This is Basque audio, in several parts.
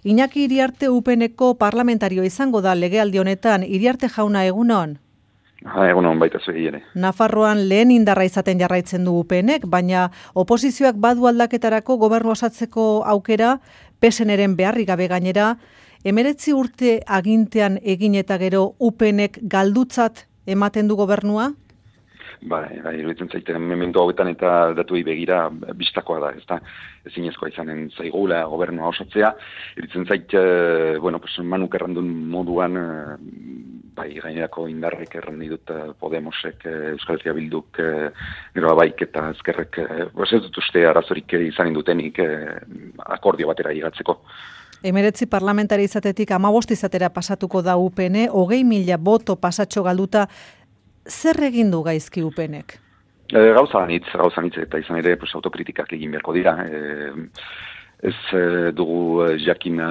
Iñaki Iriarte UPNeko parlamentario izango da legealdi honetan. Iriarte jauna, egunon? Egunon, baita zuei ere. Nafarroan lehen indarra izaten jarraitzen du UPNek, baina oposizioak badu aldaketarako gobernu osatzeko aukera, PSNren beharrik gabe gainera, 19 urte agintean egin eta gero UPNek galdutzat ematen du gobernua? Bai, iruditzen zaiten momentu hauetan eta datuei begira bistakoa da, ez da, ezinezkoa izanen zaigula gobernua osatzea. Iruditzen zait, Manuk errandun moduan, gainerako indarrek errandi dut Podemosek, Euskal Herria Bilduk, gero Abaik eta Ezkerrek, ez dut uste arazorik izanen dutenik akordio batera igatzeko. 19 parlamentari izatetik 15 izatera pasatuko da UPN, 20.000 boto pasatxo galduta. Zer egin du gaizki UPNek? Gauza anitz eta izan ere autokritikak egin beharko dira. Ez dugu jakin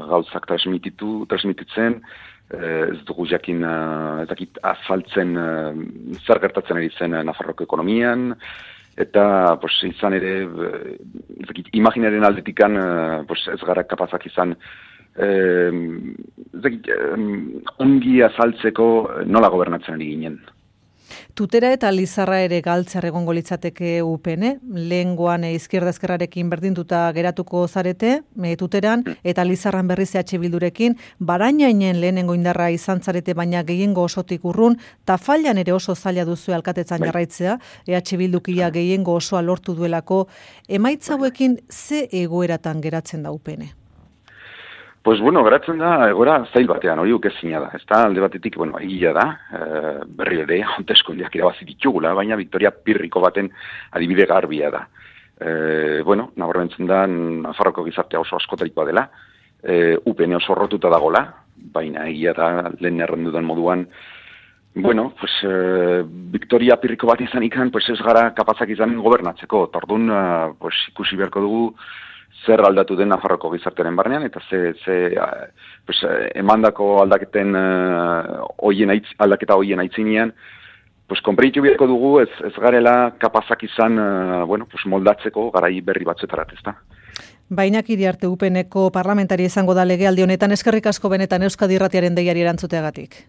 gauzak transmititzen, ez dugu jakin azaltzen zer gertatzen ari zen Nafarroko ekonomian, eta izan ere imaginaren aldetikan ez gara kapazak izan ongi azaltzeko nola gobernatzen ari ginen. Tutera eta Lizarra ere galtzer egongo litzateke UPN, lehengoan izquierda ezkerrarekin berdinduta geratuko zarete, Tuteran, eta Lizarran berriz EH Bildurekin, Barainainen lehenengo indarra izan zarete, baina gehiengo osotik urrun, Tafallan ere oso zaila duzu alkatetzan jarraitzea, EH Bildukia gehiengo osoa lortu duelako, emaitza hauekin ze egoeratan geratzen da UPN? Geratzen da, egoera zail batean, hori ukezina da. Ez da, alde batetik, egia da, berri ere, hauteskundeak irabazi ditugula, baina Victoria Pirriko baten adibide garbia da. Nabarmentzen da, Nafarroko gizartea oso askotarikoa dela, UPN oso rotuta dagola, baina egia da, lehen errendudan moduan, Victoria Pirriko bat izan ikan, ez gara kapazak izan gobernatzeko, tordun, ikusi beharko dugu, zer aldatu den Nafarroko gizartearen barnean, eta emandako aldaketen aldaketa hoien aitzinean, konpreitu beharko dugu ez garela kapazak izan moldatzeko garai berri batzuetarat, ez da. Iñaki Iriarte UPNeko parlamentari izango da legealdi honetan, eskerrik asko benetan Euskadi Irratiaren deiari erantzuteagatik.